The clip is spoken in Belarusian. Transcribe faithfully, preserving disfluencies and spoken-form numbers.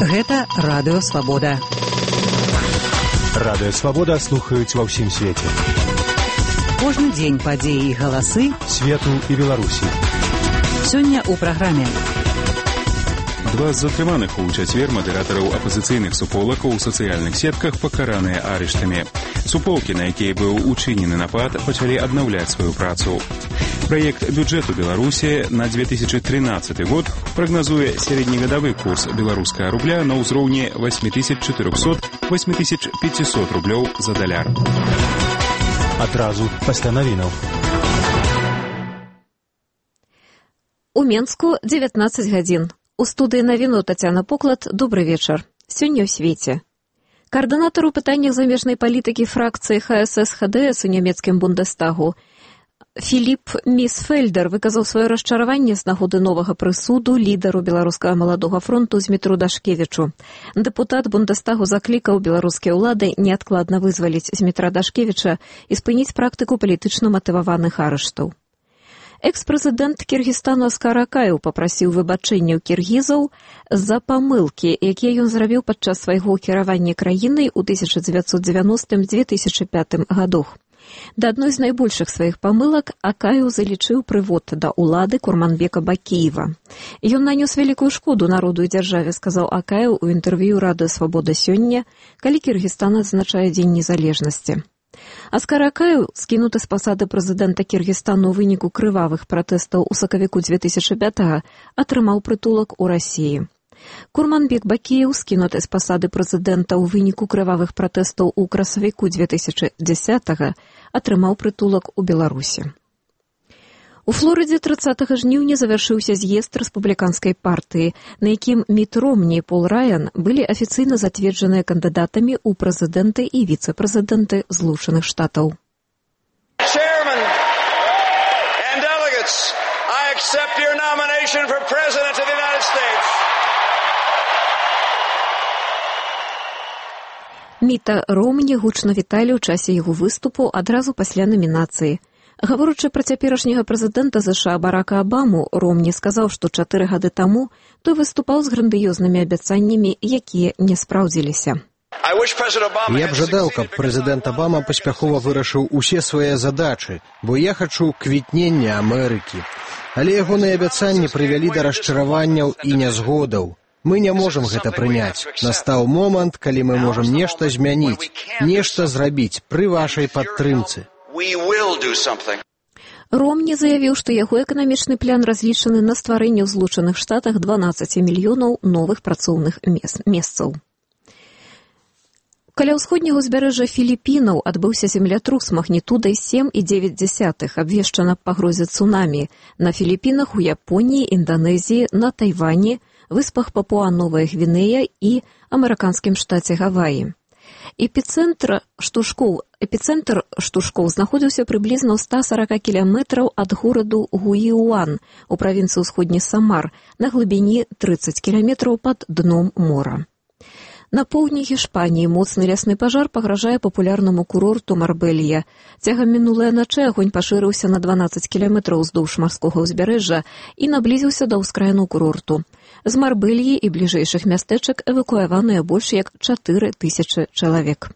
Гэта Радыё Свабода. Радыё Свабода слухаюць ва ўсім свеце. Кожны дзень падзеі і галасы свету і Беларусі. Сёння ў праграме. Два з затрыманых у чацвер мадэратараў апазіцыйных суполак у сацыяльных сетках пакараныя арыштамі. Суполкі, на якія быў учынены напад, пачалі аднаўляць сваю працу. Праект бюджэту Беларусі на две тысячи тринадцатый год прагназуе сярэднегадавы курс беларускага рубля на ўзроўні восемь тысяч четыреста - восемь тысяч пятьсот рублёў за даляр. Адразу пасля навінаў. У Менску дзевятнаццаць гадзін. У студыі навіну Тацяна Поклад. Добры вечар. Сёння ў свеце. Каардынатар у пытаннях замежнай палітыкі фракцыі ха эс эс ха дэ эс у нямецкім Бундестагу Філіп Місфельдер выказаў сваё расчараванне з нагоды новага прысуду лідару беларускага маладога фронту Змітру Дашкевічу. Дэпутат Бундестагу заклікаў беларускія ўлады неадкладна вызваліць Змітра Дашкевіча і спыніць практыку палітычна матываваных арыштаў. Экс-прэзідэнт Кіргізстану Аскар Акаеў папрасіў выбачэння ў кіргізаў за памылкі, якія ён зрабіў падчас свайго кіравання краінай у тысяча дзевяцьсот дзевяностым - две тысячи пятым гадах. Да адной з найбольшых сваіх памылак Акаеў залічыў прывод да ўлады Курманбека Бакіева. Ён нанёс вялікую шкоду народу і дзяржаве, сказаў Акаеў у інтэрв'ю Радыё Свабода сёння, калі Кіргізстан адзначае Дзень незалежнасці. Аскар Акаеў, скінуты з пасады прэзідэнта Кіргізстану ў выніку крывавых пратэстаў у сакавіку две тысячи пятага, атрымаў прытулак у Расіі. Курманбек Бакіеў, скінуты з пасады прэзідэнта ў выніку крывавых пратэстаў у красавіку две тысячи дзесятага, атрымаў прытулак у Беларусі. У Флорыдзе трыццатага жніўня завяршыўся з'езд рэспубліканскай партыі, на якім Міт Ромні і Пол Раян былі афіцыйна зацверджаныя кандыдатамі ў прэзідэнты і віцэ-прэзідэнты Злучаных Штатаў. Chairman and delegates, I accept your nomination for President of the United States. Міта Ромні гучна віталі ў часе яго выступу адразу пасля намінацыі. Гаворачы пра цяперашняга прэзідэнта ЗША Барака Абаму, Ромні сказаў, што чатыры гады таму той выступаў з грандыёзнымі абяцаннямі, якія не спраўдзіліся. Я б жадаў, каб прэзідэнт Абама паспяхова вырашыў усе свае задачы, бо я хачу квітнення Амерыкі. Але ягоныя абяцанні прывялі да расчараванняў і нязгодаў. Мы не можам гэта прыняць. Настаў момант, калі мы можам нешта змяніць, нешта зрабіць пры вашай падтрымцы. Ромні заявіў, што яго эканамічны план разлічаны на стварэнне ў Злучаных Штатах дванаццаць мільёнаў новых працоўных месцаў. Каля ўсходняга ўзбярэжжа Філіпінаў адбыўся землятрус магнітудай сем і дзевяць дзясятых, абвешчана пагрозе цунамі на Філіпінах, у Японіі, Інданезіі, на Тайвані, выспах Папуа-Новая Гвінея і амерыканскім штаце Гаваі. Эпіцэнтр штуршкоў, эпіцэнтр штуршкоў знаходзіўся прыблізна ў ста сорока кіламетраў ад гораду Гуіюан у правінцыі ўсходні Самар на глыбіні трыццаць кіламетраў пад дном мора. На поўдні Гішпаніі моцны лясны пажар пагражае папулярнаму курорту Марбелья. Цягам мінулай начы агонь пашырыўся на дванаццаць кіламетраў уздоўж марскога ўзбярэжжа і наблізіўся да ўскраіну курорту. З Марбельі і бліжэйшых мястэчак эвакуяваныя больш як чатыры тысячы чалавек.